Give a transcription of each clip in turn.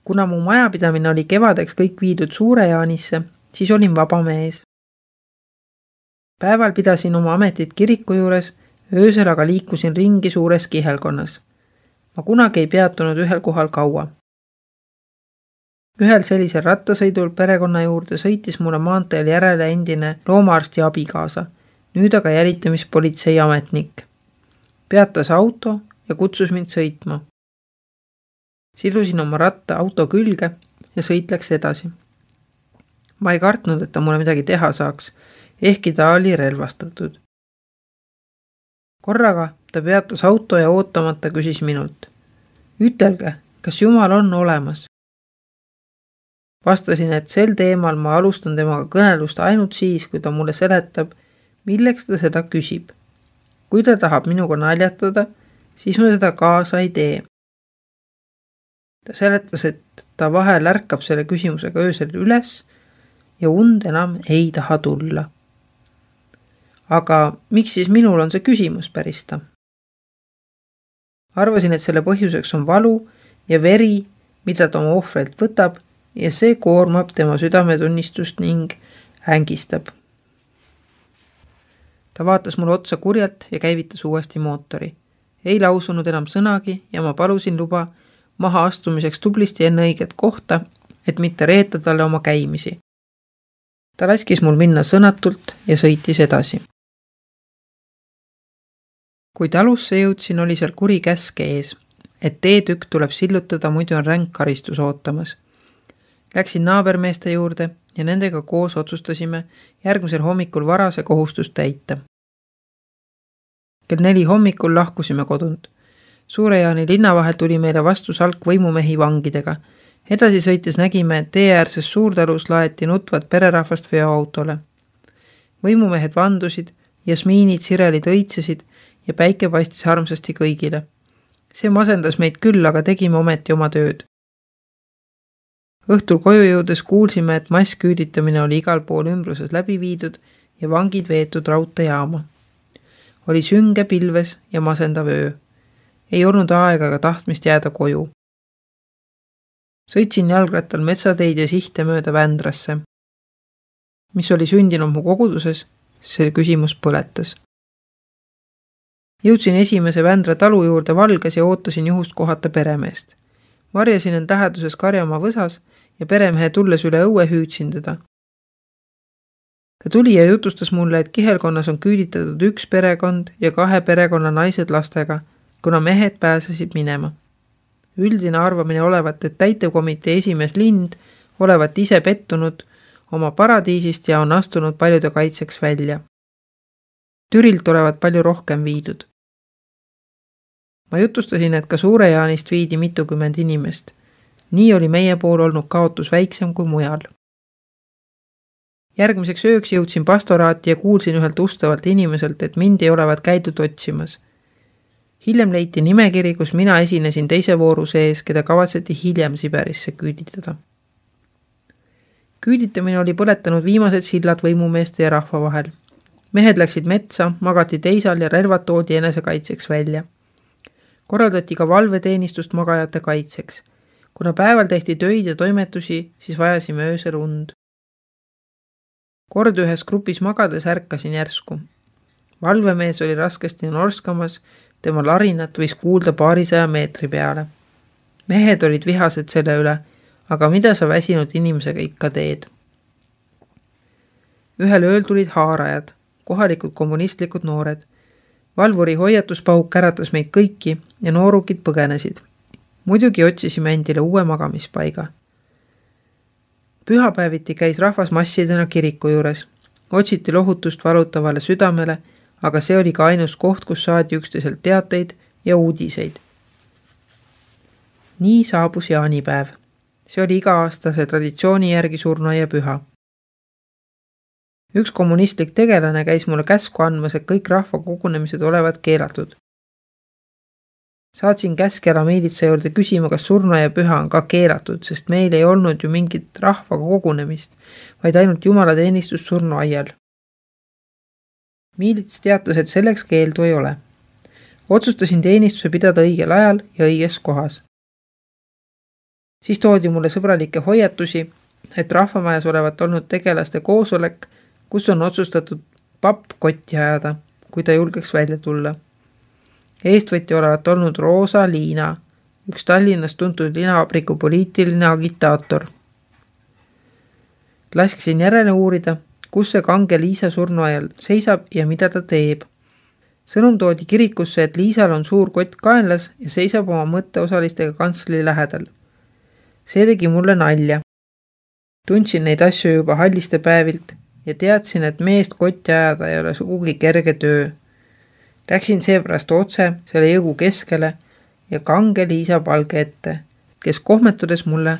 Kuna mu majapidamine oli kevadeks kõik viidud Suure-Jaanisse, siis olin vaba mees. Päeval pidasin oma ametit kiriku juures, öösel aga liikusin ringi suures kihelkonnas. Ma kunagi ei peatunud ühel kohal kaua. Ühel sellisel rattasõidul perekonna juurde sõitis mulle maanteel järele endine loomaarsti abikaasa, nüüd aga jälitamispolitsei ametnik. Peatas auto ja kutsus mind sõitma. Sidusin oma ratta auto külge ja sõit läks edasi. Ma ei kartnud, et ta mulle midagi teha saaks, ehkki ta oli relvastatud. Korraga ta peatas auto ja ootamata küsis minult. Ütelge, kas Jumal on olemas? Vastasin, et sel teemal ma alustan temaga kõnelust ainult siis, kui ta mulle seletab, milleks ta seda küsib. Kui ta tahab minuga naljatada, siis ma seda kaasa ei tee. Ta seletas, et ta vahel ärkab selle küsimusega öösel üles ja und enam ei taha tulla. Aga miks siis minul on see küsimus, päris ta? Arvasin, et selle põhjuseks on valu ja veri, mida ta oma ohvrilt võtab ja see koormab tema südametunnistust ning ängistab. Ta vaatas mulle otsa kurjalt ja käivitas uuesti mootori. Ei lausunud enam sõnagi ja ma palusin luba maha astumiseks tublisti enne õiget kohta, et mitte reeta talle oma käimisi. Ta laskis mul minna sõnatult ja sõitis edasi. Kui talusse jõudsin, oli seal kuri käsk ees, et teetükk tuleb sillutada, muidu on ränk karistus ootamas. Läksin naabermeeste juurde ja nendega koos otsustasime järgmisel hommikul varase kohustust täita. Kell 4 hommikul lahkusime kodunt. Suure-Jaani linna vahel tuli meile vastu salk võimumehi vangidega. Edasi sõites nägime, et teeäärses suurtalus laeti nutvat pererahvast veoautole. Võimumehed vandusid, jasmiinid, sirelid õitsesid ja päike paistis armsasti kõigile. See masendas meid küll, aga tegime ometi oma tööd. Õhtul koju jõudes kuulsime, et massküüditamine oli igal pool ümbruses läbi viidud ja vangid veetud raudteejaama. Oli sünge pilves ja masendav öö. Ei olnud aega ega tahtmist jääda koju. Sõitsin jalgrattal metsateid ja sihte mööda Vändrasse. Mis oli sündinud mu koguduses, see küsimus põletas. Jõudsin esimese Vändra talu juurde valges ja ootasin juhust kohata peremeest. Varjasin end läheduses karjamaa võsas ja peremehe tulles üle õue hüüdsin teda. Ta tuli ja jutustas mulle, et kihelkonnas on küüditatud üks perekond ja 2 perekonna naised lastega, kuna mehed pääsesid minema. Üldine arvamine olevat, et täitevkomitee esimees Lind olevat ise pettunud oma paradiisist ja on astunud paljude kaitseks välja. Türilt olevat palju rohkem viidud. Ma jutustasin, et ka Suure-Jaanist viidi mitukümmend inimest. Nii oli meie pool olnud kaotus väiksem kui mujal. Järgmiseks ööks jõudsin pastoraati ja kuulsin ühelt ustavalt inimeselt, et mind ei olevat käidud otsimas. Hiljem leiti nimekiri, kus mina esinesin teise vooru sees, keda kavatseti hiljem Siberisse küüditada. Küüditamine oli põletanud viimased sillad võimumeeste ja rahva vahel. Mehed läksid metsa, magati teisal ja relvad toodi enesekaitseks välja. Korraldati ka valveteenistust magajate kaitseks. Kuna päeval tehti töid ja toimetusi, siis vajasime öösel und. Kord ühes grupis magades ärkasin järsku. Valvemees oli raskesti norskamas, tema larinat võis kuulda 200 meetri peale. Mehed olid vihased selle üle, aga mida sa väsinud inimesega ikka teed? Ühel ööl tulid haarajad, kohalikud kommunistlikud noored. Valvuri hoiatuspauk äratas meid kõiki ja noorukid põgenesid. Muidugi otsisime endile uue magamispaiga. Pühapäeviti käis rahvas massidena kiriku juures. Otsiti lohutust valutavale südamele, aga see oli ka ainus koht, kus saadi üksteiselt teateid ja uudiseid. Nii saabus jaanipäev. See oli iga-aastase traditsiooni järgi surnuaia püha. Üks kommunistlik tegelane käis mulle käsku andmas, et kõik rahva kogunemised olevat keelatud. Saatsin käskjala miilitsa juurde küsima, kas surnuaia püha on ka keelatud, sest meil ei olnud ju mingit rahva kogunemist, vaid ainult jumalateenistus surnuaial. Miilits teatas, et selleks keeldu ei ole. Otsustasin teenistuse pidada õigel ajal ja õiges kohas. Siis toodi mulle sõbralikke hoiatusi, et rahvamajas olevat olnud tegelaste koosolek, kus on otsustatud papp kotti ajada, kui ta julgeks välja tulla. Eestvõtja olevat olnud Roosa Liina, üks Tallinnas tuntud linavabriku poliitiline agitaator. Laskisin järele uurida, kus see kange Liisa surnuajal seisab ja mida ta teeb. Sõnum toodi kirikusse, et Liisal on suur kott kaenlas ja seisab oma mõtteosalistega kantsli lähedal. See tegi mulle nalja. Tundsin neid asju juba halliste päevilt ja teadsin, et meest kotti ajada ei ole sugugi kerge töö. Läksin seepärast otse selle jõgu keskele ja kange Liisa palge ette, kes kohmetudes mulle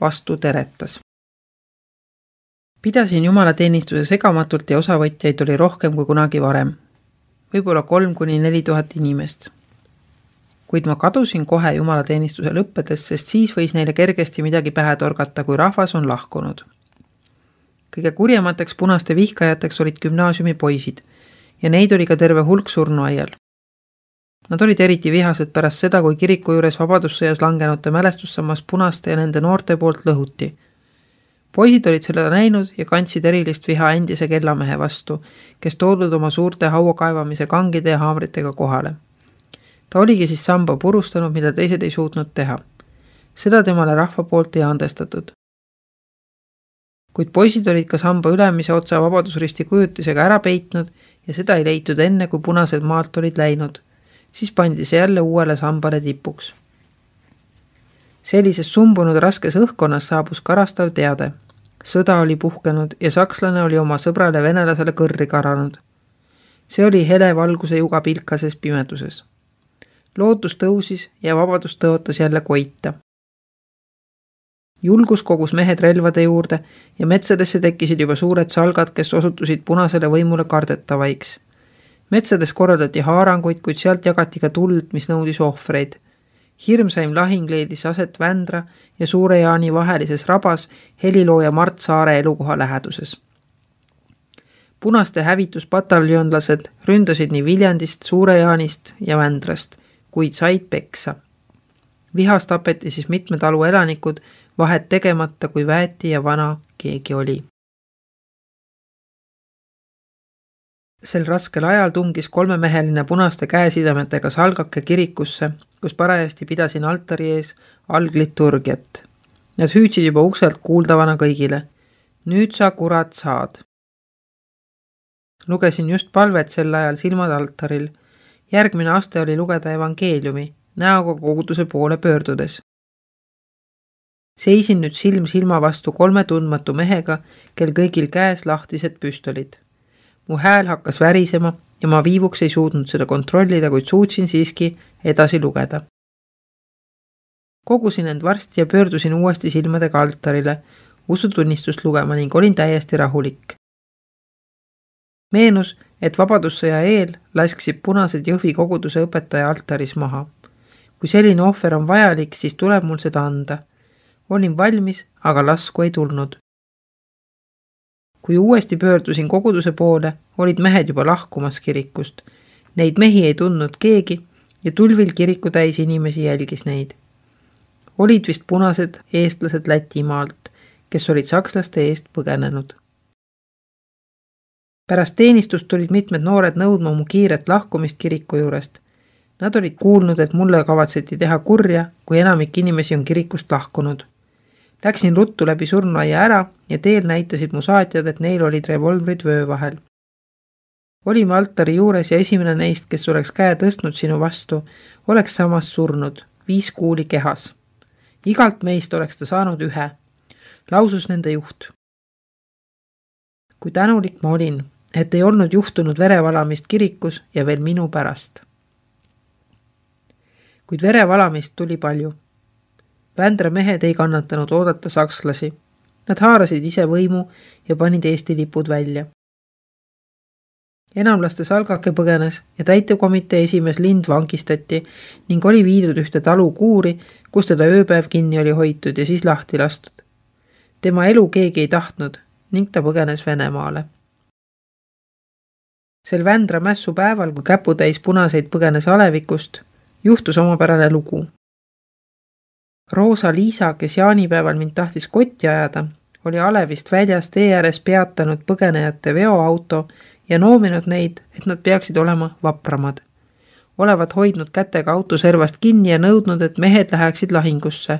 vastu teretas. Pidasin jumalateenistuse segamatult ja osavõtjaid oli rohkem kui kunagi varem. Võib-olla 3–4 inimest. Kuid ma kadusin kohe jumalateenistuse lõppedes, sest siis võis neile kergesti midagi pähe torgata, kui rahvas on lahkunud. Kõige kurjemateks punaste vihkajateks olid gümnaasiumi poisid ja neid oli ka terve hulk surnuaial. Nad olid eriti vihased pärast seda, kui kiriku juures vabadussõjas langenute mälestussammas punaste ja nende noorte poolt lõhuti. Poisid olid seda näinud ja kandsid erilist viha endise kellamehe vastu, kes toodud oma suurte hauakaevamise kangide ja haamritega kohale. Ta oligi siis samba purustanud, mida teised ei suutnud teha. Seda temale rahva poolt ei andestatud. Kuid poisid olid ka samba ülemise otsa vabadusristi kujutisega ära peitnud ja seda ei leitud enne, kui punased maalt olid läinud. Siis pandi see jälle uuele sambale tipuks. Sellises sumbunud raskes õhkkonnas saabus karastav teade. Sõda oli puhkenud ja sakslane oli oma sõbrale venelasele kõrri karanud. See oli hele valguse juga pilkases pimeduses. Lootus tõusis ja vabadus tõotas jälle koita. Julgus kogus mehed relvade juurde ja metsadesse tekkisid juba suured salgad, kes osutusid punasele võimule kardetavaiks. Metsades korraldati haaranguid, kuid sealt jagati ka tuld, mis nõudis ohvreid. Hirmsaim lahing leidis aset Vändra ja Suure Jaani vahelises rabas helilooja Mart Saare elukoha läheduses. Punaste hävituspataljonlased ründasid nii Viljandist, Suure Jaanist ja Vändrast, kuid said peksa. Vihas tapeti siis mitmed alu elanikud, vahet tegemata, kui väeti ja vana keegi oli. Sel raskel ajal tungis 3-meheline punaste käesidametega salgake kirikusse, kus parajasti pidasin altari ees algliturgiat. Nad hüüdsid juba ukselt kuuldavana kõigile. Nüüd sa kurat saad. Lugesin just palvet sel ajal silmad altaril. Järgmine aste oli lugeda evangeeliumi, näoga koguduse poole pöördudes. Seisin nüüd silm silma vastu 3 tundmatu mehega, kel kõigil käes lahtised püstolid. Mu hääl hakkas värisema ja ma viivuks ei suutnud seda kontrollida, kuid suutsin siiski edasi lugeda. Kogusin end varsti ja pöördusin uuesti silmadega altarile, usutunnistust lugema ning olin täiesti rahulik. Meenus, et vabadussõja eel lasksid punased Jõhvi koguduse õpetaja altaris maha. Kui selline ohver on vajalik, siis tuleb mul seda anda. Olin valmis, aga lasku ei tulnud. Kui uuesti pöördusin koguduse poole, olid mehed juba lahkumas kirikust. Neid mehi ei tundnud keegi ja tulvil kiriku täis inimesi jälgis neid. Olid vist punased eestlased Lätimaalt, kes olid sakslaste eest põgenenud. Pärast teenistust tulid mitmed noored nõudma mu kiiret lahkumist kiriku juurest. Nad olid kuulnud, et mulle kavatseti teha kurja, kui enamik inimesi on kirikust lahkunud. Läksin ruttu läbi surnuaia ära ja teel näitasid mu saatjad, et neil olid revolvrid vöö vahel. Olime altari juures ja esimene neist, kes oleks käe tõstnud sinu vastu, oleks samas surnud, 5 kuuli kehas. Igalt meist oleks ta saanud 1, lausus nende juht. Kui tänulik ma olin, et ei olnud juhtunud verevalamist kirikus ja veel minu pärast. Kuid verevalamist tuli palju. Vändra mehed ei kannatanud oodata sakslasi. Nad haarasid ise võimu ja panid Eesti lipud välja. Enamlaste salgake põgenes ja täitevkomitee esimees Lind vangistati ning oli viidud ühte talu kuuri, kus teda ööpäev kinni oli hoitud ja siis lahti lastud. Tema elu keegi ei tahtnud ning ta põgenes Venemaale. Sel Vändra mässu päeval, kui käputäis punaseid põgenes alevikust, juhtus omapärane lugu. Roosa Liisa, kes jaanipäeval mind tahtis kotti ajada, oli Alevist väljas tee ääres peatanud põgenejate veoauto ja noominud neid, et nad peaksid olema vapramad. Olevat hoidnud kätega autoservast kinni ja nõudnud, et mehed läheksid lahingusse.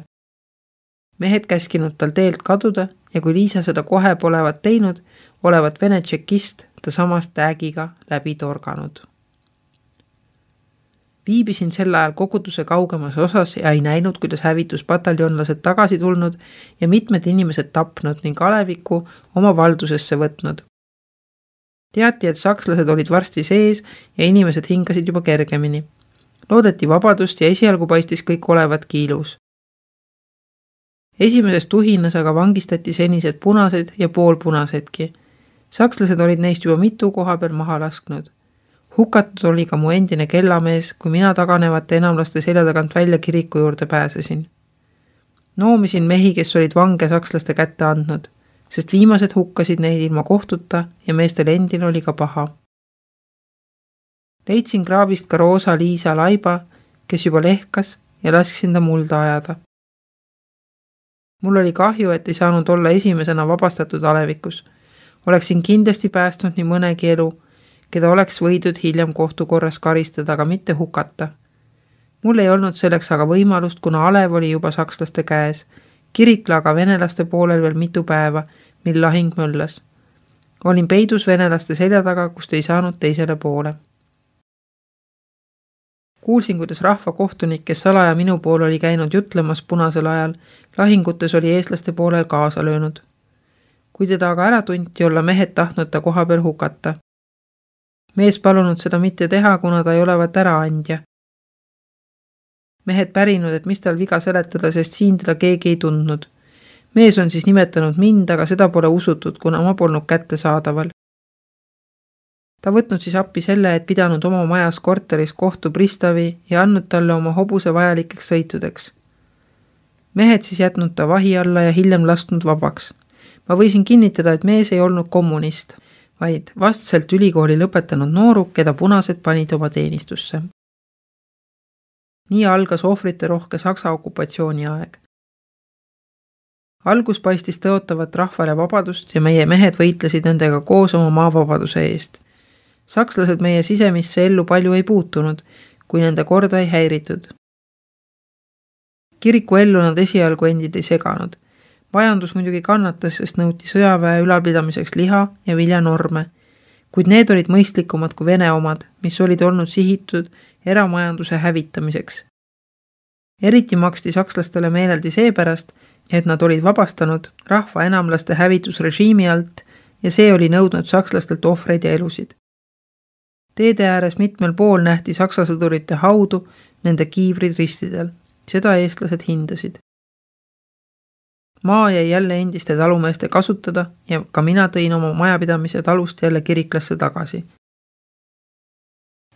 Mehed käskinud tal teelt kaduda ja kui Liisa seda kohe polevat teinud, olevat Vene tšekist ta samast täägiga läbi torganud. Viibisin sel ajal koguduse kaugemas osas ja ei näinud, kuidas hävituspataljonlased tagasi tulnud ja mitmed inimesed tapnud ning Aleviku oma valdusesse võtnud. Teati, et sakslased olid varsti sees ja inimesed hingasid juba kergemini. Loodeti vabadust ja esialgu paistis kõik olevat kiilus. Esimeses tuhinas aga vangistati senised punased ja poolpunasedki. Sakslased olid neist juba mitu koha peal maha lasknud. Hukatud oli ka mu endine kellamees, kui mina taganevate enamlaste selja tagant välja kiriku juurde pääsesin. Noomisin mehi, kes olid vange sakslaste kätte andnud, sest viimased hukkasid neid ilma kohtuta ja meestel endil oli ka paha. Leidsin kraavist ka Roosa Liisa laiba, kes juba lehkas ja lasksin ta mulda ajada. Mul oli kahju, et ei saanud olla esimesena vabastatud Alevikus. Oleksin kindlasti päästnud nii mõnegi elu, keda oleks võidud hiljem kohtukorras karistada, aga mitte hukata. Mul ei olnud selleks aga võimalust, kuna Alev oli juba sakslaste käes. Kirikla aga venelaste poolel veel mitu päeva, mil lahing möllas. Olin peidus venelaste selja taga, kust ei saanud teisele poole. Kuulsin, kuidas rahvakohtunik, kes salaja minu pool oli käinud jutlemas punasel ajal, lahingutes oli eestlaste poolel kaasa löönud. Kui teda aga ära tunti, olla mehed tahtnud ta koha peal hukata. Mees palunud seda mitte teha, kuna ta ei olevat äraandja. Mehed pärinud, et mis tal viga seletada, sest siin teda keegi ei tundnud. Mees on siis nimetanud mind, aga seda pole usutud, kuna ma polnud kätte saadaval. Ta võtnud siis appi selle, et pidanud oma majas korteris kohtu pristavi ja andnud talle oma hobuse vajalikeks sõitudeks. Mehed siis jätnud ta vahi alla ja hiljem lasknud vabaks. Ma võisin kinnitada, et mees ei olnud kommunist, vaid vastselt ülikooli lõpetanud nooruk, keda punased panid oma teenistusse. Nii algas ohvrite rohke Saksa okupatsiooni aeg. Algus paistis tõotavat rahvale vabadust ja meie mehed võitlesid nendega koos oma maavabaduse eest. Sakslased meie sisemisse ellu palju ei puutunud, kui nende korda ei häiritud. Kiriku ellu nad esialgu endid ei seganud. Majandus muidugi kannatas, sest nõuti sõjaväe ülalpidamiseks liha ja viljanorme, kuid need olid mõistlikumad kui Vene omad, mis olid olnud sihitud eramajanduse hävitamiseks. Eriti maksti sakslastele meeleldi seepärast, et nad olid vabastanud rahva enamlaste hävitusrežiimi alt ja see oli nõudnud sakslastelt ohvreid ja elusid. Teede ääres mitmel pool nähti saksa sõdurite haudu, nende kiivrid ristidel. Seda eestlased hindasid. Maa jäi jälle endiste talumeeste kasutada ja ka mina tõin oma majapidamise talust jälle kiriklasse tagasi.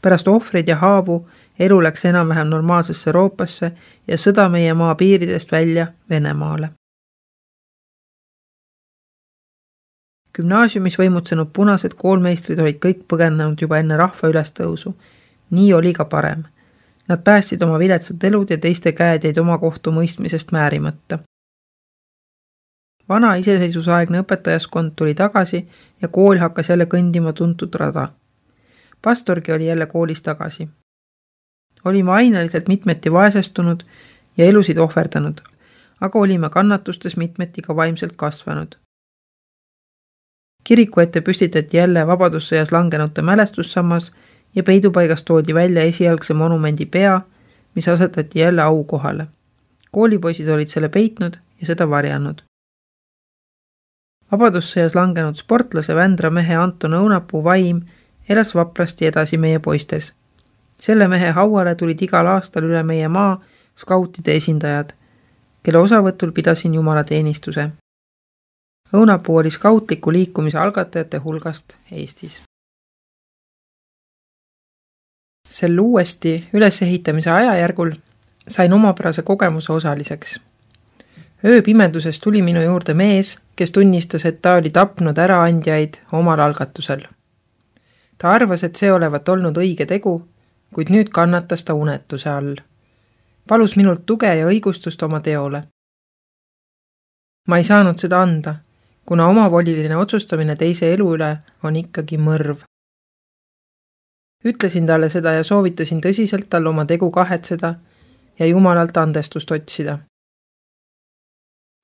Pärast ohvreid ja haavu elu läks enam-vähem normaalsesse Euroopasse ja sõda meie maa piiridest välja Venemaale. Gümnaasiumis võimutsenud punased koolmeistrid olid kõik põgenenud juba enne rahva ülestõusu. Nii oli ka parem. Nad päästsid oma viletsad elud ja teiste käed jäid oma kohtu mõistmisest määrimata. Vana iseseisusaegne õpetajaskond tuli tagasi ja kool hakkas jälle kõndima tuntud rada. Pastorgi oli jälle koolis tagasi. Olime aineliselt mitmeti vaesestunud ja elusid ohverdanud, aga olime kannatustes mitmeti ka vaimselt kasvanud. Kiriku ette püstitati jälle vabadussõjas langenute mälestussammas ja peidupaigast toodi välja esialgse monumendi pea, mis asetati jälle aukohale. Koolipoisid olid selle peitnud ja seda varjanud. Vabadussõjas langenud sportlase Vändra mehe Anton Õunapuu vaim elas vaprasti edasi meie poistes. Selle mehe hauale tulid igal aastal üle meie maa skautide esindajad, kelle osavõtul pidasin jumalateenistuse. Õunapuu oli skautliku liikumise algatajate hulgast Eestis. Sel uuesti ülesehitamise ajajärgul sain omapärase kogemuse osaliseks. Ööpimeduses tuli minu juurde mees, kes tunnistas, et ta oli tapnud äraandjaid omal algatusel. Ta arvas, et see olevat olnud õige tegu, kuid nüüd kannatas ta unetuse all. Palus minult tuge ja õigustust oma teole. Ma ei saanud seda anda, kuna omavoliline otsustamine teise elu üle on ikkagi mõrv. Ütlesin talle seda ja soovitasin tõsiselt tal oma tegu kahetseda ja Jumalalt andestust otsida.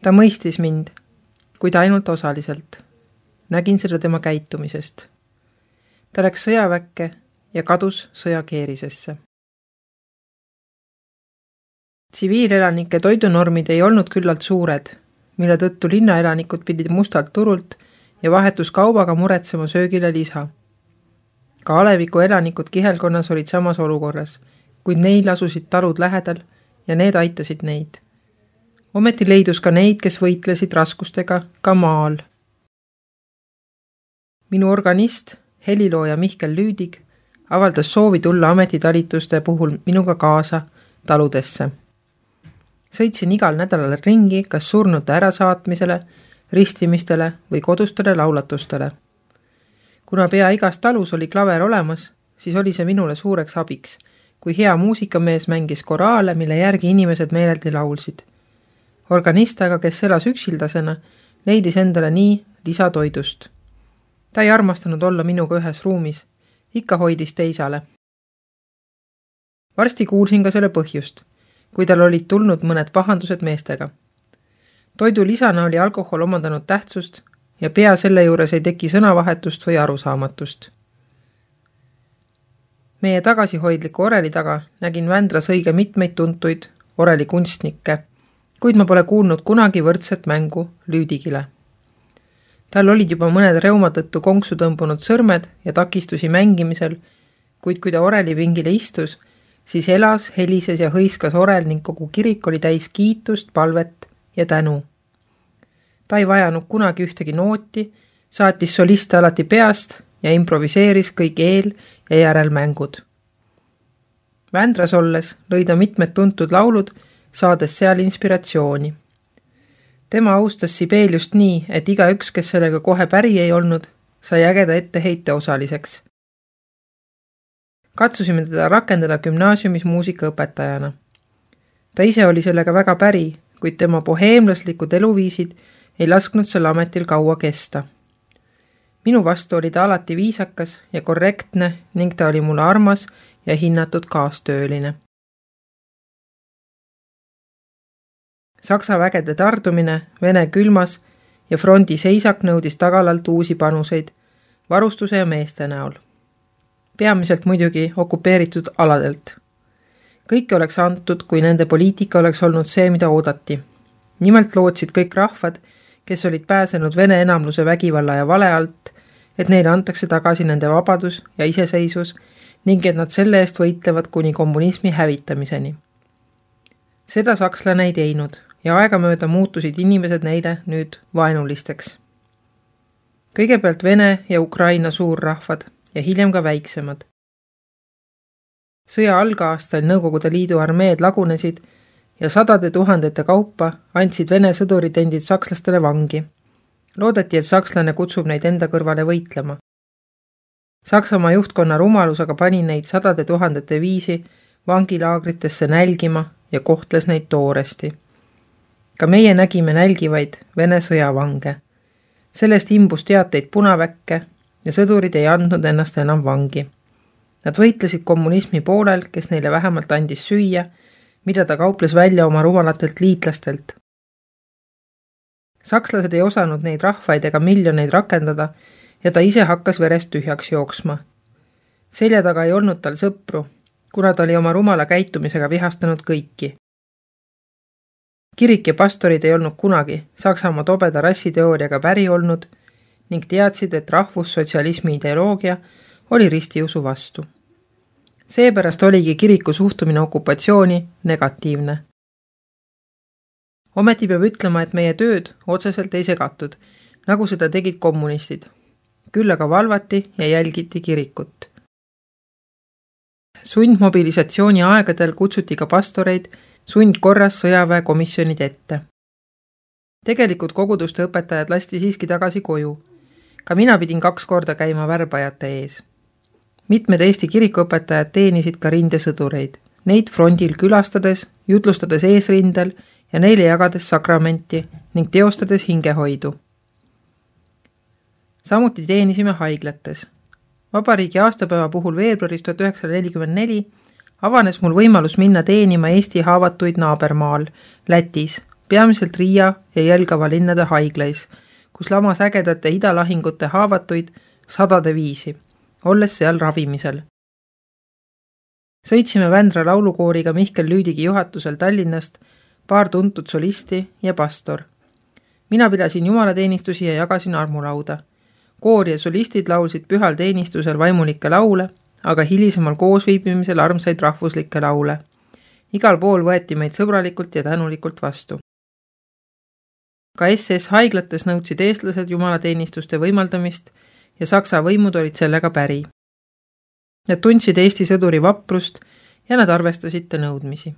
Ta mõistis mind, kuid ainult osaliselt. Nägin seda tema käitumisest. Ta läks sõjaväkke ja kadus sõjakeerisesse. Tsiviilelanike toidunormid ei olnud küllalt suured, mille tõttu linnaelanikud pidid mustalt turult ja vahetuskaubaga muretsema söögile lisa. Ka Aleviku elanikud kihelkonnas olid samas olukorras, kuid neil asusid talud lähedal ja need aitasid neid. Ometi leidus ka neid, kes võitlesid raskustega ka maal. Minu organist, helilooja Mihkel Lüüdig, avaldas soovi tulla ametitalituste puhul minuga kaasa taludesse. Sõitsin igal nädalal ringi kas surnute ärasaatmisele, ristimistele või kodustele laulatustele. Kuna pea igas talus oli klaver olemas, siis oli see minule suureks abiks, kui hea muusikamees mängis koraale, mille järgi inimesed meeleldi laulsid. Organist aga, kes elas üksildasena, leidis endale nii lisatoidust. Ta ei armastanud olla minuga ühes ruumis, ikka hoidis teisale. Varsti kuulsin ka selle põhjust, kui tal olid tulnud mõned pahandused meestega. Toidu lisana oli alkohol omandanud tähtsust ja pea selle juures ei teki sõnavahetust või arusaamatust. Meie tagasihoidliku oreli taga nägin Vändras õige mitmeid tuntuid orelikunstnikke, kuid ma pole kuulnud kunagi võrdset mängu Lüüdigile. Tal olid juba mõned reuma tõttu konksu tõmbunud sõrmed ja takistusi mängimisel, kuid kui ta orelivingile istus, siis elas, helises ja hõiskas orel ning kogu kirik oli täis kiitust, palvet ja tänu. Ta ei vajanud kunagi ühtegi nooti, saatis soliste alati peast ja improviseeris kõik eel- ja järelmängud. Vändras olles lõi ta mitmed tuntud laulud, saades seal inspiratsiooni. Tema austas Sibeliust nii, et igaüks, kes sellega kohe päri ei olnud, sai ägeda etteheite osaliseks. Katsusime teda rakendada gümnaasiumis muusikaõpetajana. Ta ise oli sellega väga päri, kuid tema boheemlaslikud eluviisid ei lasknud sel ametil kaua kesta. Minu vastu oli ta alati viisakas ja korrektne ning ta oli mulle armas ja hinnatud kaastööline. Saksa vägede tardumine, Vene külmas ja frondi seisak nõudis tagalalt uusi panuseid, varustuse ja meeste näol. Peamiselt muidugi okupeeritud aladelt. Kõike oleks antud, kui nende poliitika oleks olnud see, mida oodati. Nimelt lootsid kõik rahvad, kes olid pääsenud Vene enamluse vägivalla ja vale alt, et neile antakse tagasi nende vabadus ja iseseisvus ning et nad selle eest võitlevad kuni kommunismi hävitamiseni. Seda sakslane ei teinud ja aegamööda muutusid inimesed neile nüüd vaenulisteks. Kõigepealt Vene ja Ukraina suurrahvad ja hiljem ka väiksemad. Sõja algaastal Nõukogude Liidu armeed lagunesid ja sadade tuhandete kaupa andsid Vene sõduritendid sakslastele vangi. Loodeti, et sakslane kutsub neid enda kõrvale võitlema. Saksamaa juhtkonna rumalus aga pani neid sadade tuhandete viisi vangilaagritesse nälgima ja kohtles neid tooresti. Ka meie nägime nälgivaid Vene sõjavange. Sellest imbus teateid punaväkke ja sõdurid ei andnud ennast enam vangi. Nad võitlesid kommunismi poolel, kes neile vähemalt andis süüa, mida ta kauples välja oma rumalatelt liitlastelt. Sakslased ei osanud neid rahvaid ega miljoneid rakendada ja ta ise hakkas verest tühjaks jooksma. Selja taga ei olnud tal sõpru, kuna ta oli oma rumala käitumisega vihastanud kõiki. Kirik ja pastorid ei olnud kunagi Saksamaa tobeda rassiteooriaga päri olnud ning teadsid, et rahvussotsialismi ideoloogia oli ristiusu vastu. Seepärast oligi kiriku suhtumine okupatsiooni negatiivne. Ometi peab ütlema, et meie tööd otseselt ei segatud, nagu seda tegid kommunistid. Küll aga valvati ja jälgiti kirikut. Sundmobilisatsiooni aegadel kutsuti ka pastoreid sundkorras sõjaväekomisjonid ette. Tegelikult koguduste õpetajad lasti siiski tagasi koju. Ka mina pidin 2 korda käima värbajate ees. Mitmed Eesti kirikuõpetajad teenisid ka rindesõdureid. neid frondil külastades, jutlustades eesrindel ja neile jagades sakramenti ning teostades hingehoidu. Samuti teenisime haiglates. Vabariigi aastapäeva puhul veebruaris 1944 avanes mul võimalus minna teenima Eesti haavatuid naabermaal, Lätis, peamiselt Riia ja Jelgava linnade haiglais, kus lamas ägedate idalahingute haavatuid 100 viisi, olles seal ravimisel. Sõitsime Vändra laulukooriga Mihkel Lüüdigi juhatusel Tallinnast, paar tuntud solisti ja pastor. Mina pidasin jumalateenistusi ja jagasin armulauda. Koor ja solistid laulsid pühal teenistusel vaimulikke laule, aga hilisemal koosviibimisel armsaid rahvuslikke laule. Igal pool võeti meid sõbralikult ja tänulikult vastu. Ka SS haiglates nõudsid eestlased jumalateenistuste võimaldamist ja Saksa võimud olid sellega päri. Nad tundsid Eesti sõduri vaprust ja nad arvestasid ta nõudmisi.